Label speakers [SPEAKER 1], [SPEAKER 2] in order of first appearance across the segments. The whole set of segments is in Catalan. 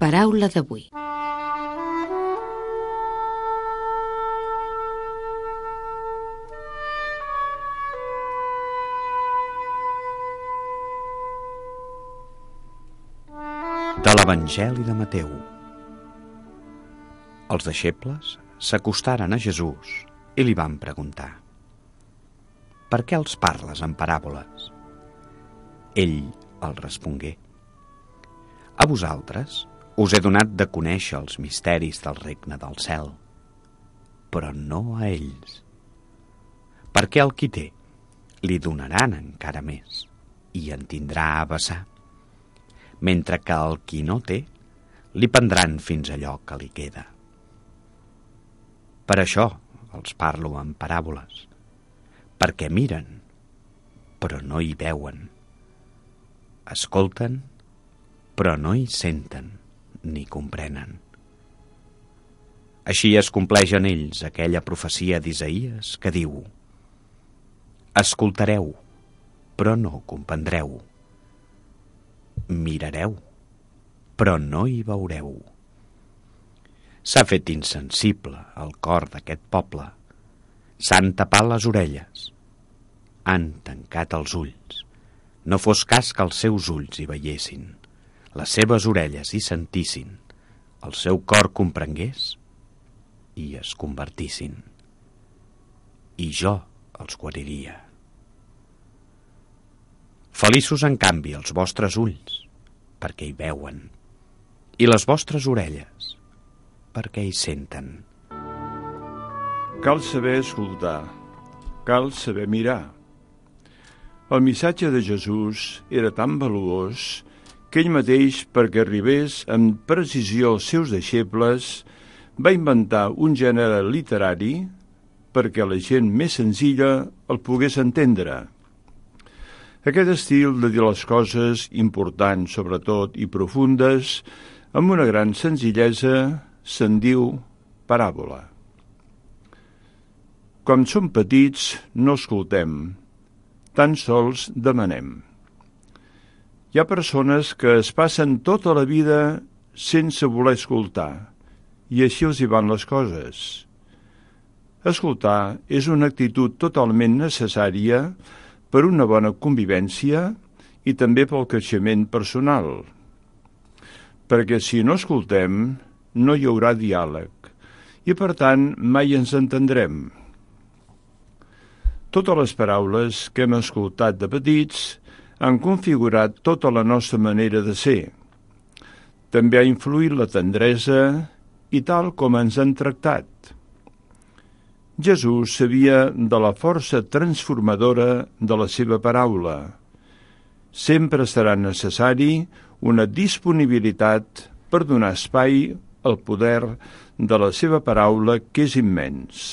[SPEAKER 1] Paraula d'avui.
[SPEAKER 2] De l'Evangeli de Mateu. Els deixebles s'acostaren a Jesús i li van preguntar: «Per què els parles en paràboles?» Ell els respongué: «A vosaltres us he donat de conèixer els misteris del regne del cel, però no a ells. Perquè al qui té li donaran encara més i en tindrà a vessar, mentre que al qui no té li prendran fins allò que li queda. Per això els parlo en paràboles, perquè miren, però no hi veuen, escolten, però no hi senten ni comprenen. Així es compleix en ells aquella profecia d'Isaïes que diu: escoltareu, però no comprendreu. Mirareu, però no hi veureu. S'ha fet insensible el cor d'aquest poble. S'han tapat les orelles. Han tancat els ulls. No fos cas que els seus ulls hi veiessin, les seves orelles hi sentissin, el seu cor comprengués i es convertissin. I jo els guariria. Feliços, en canvi, els vostres ulls, perquè hi veuen, i les vostres orelles, perquè hi senten.
[SPEAKER 3] Cal saber escoltar, cal saber mirar. El missatge de Jesús era tan valuós que ell mateix, perquè arribés amb precisió als seus deixebles, va inventar un gènere literari perquè la gent més senzilla el pogués entendre. Aquest estil de dir les coses importants, sobretot, i profundes, amb una gran senzillesa, se'n diu paràbola. Quan som petits, no escoltem, tan sols demanem. Hi ha persones que es passen tota la vida sense voler escoltar, i així els hi van les coses. Escoltar és una actitud totalment necessària per una bona convivència i també pel creixement personal. Perquè si no escoltem, no hi haurà diàleg i, per tant, mai ens entendrem. Totes les paraules que hem escoltat de petits han configurat tota la nostra manera de ser. També ha influït la tendresa i tal com ens han tractat. Jesús sabia de la força transformadora de la seva paraula. Sempre serà necessari una disponibilitat per donar espai al poder de la seva paraula, que és immens.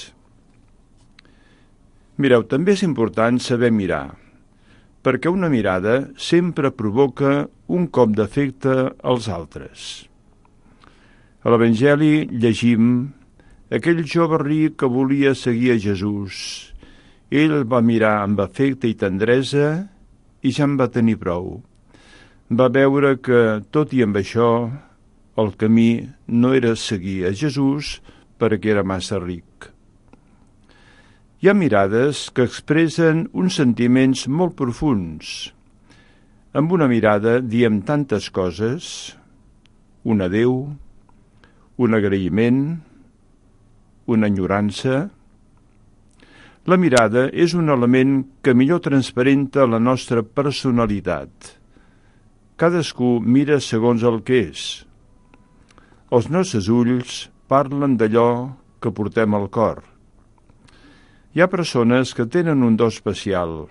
[SPEAKER 3] Mireu, també és important saber mirar, perquè una mirada sempre provoca un cop d'efecte als altres. A l'Evangeli llegim: aquell jove ric que volia seguir a Jesús. Ell el va mirar amb afecte i tendresa i ja en va tenir prou. Va veure que, tot i amb això, el camí no era seguir a Jesús perquè era massa ric. Hi ha mirades que expressen uns sentiments molt profunds. Amb una mirada diem tantes coses: un adéu, un agraïment, una enyorança. La mirada és un element que millor transparenta la nostra personalitat. Cadascú mira segons el que és. Els nostres ulls parlen d'allò que portem al cor. Hi ha persones que tenen un do especial.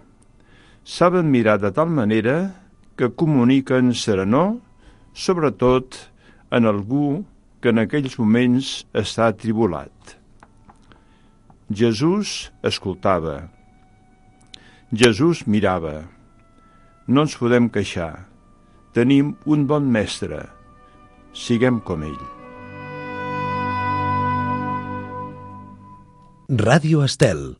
[SPEAKER 3] Saben mirar de tal manera que comuniquen serenor, sobretot en algú que en aquells moments està atribulat. Jesús escoltava. Jesús mirava. No ens podem queixar. Tenim un bon mestre. Siguem com ell.
[SPEAKER 4] Ràdio Estel.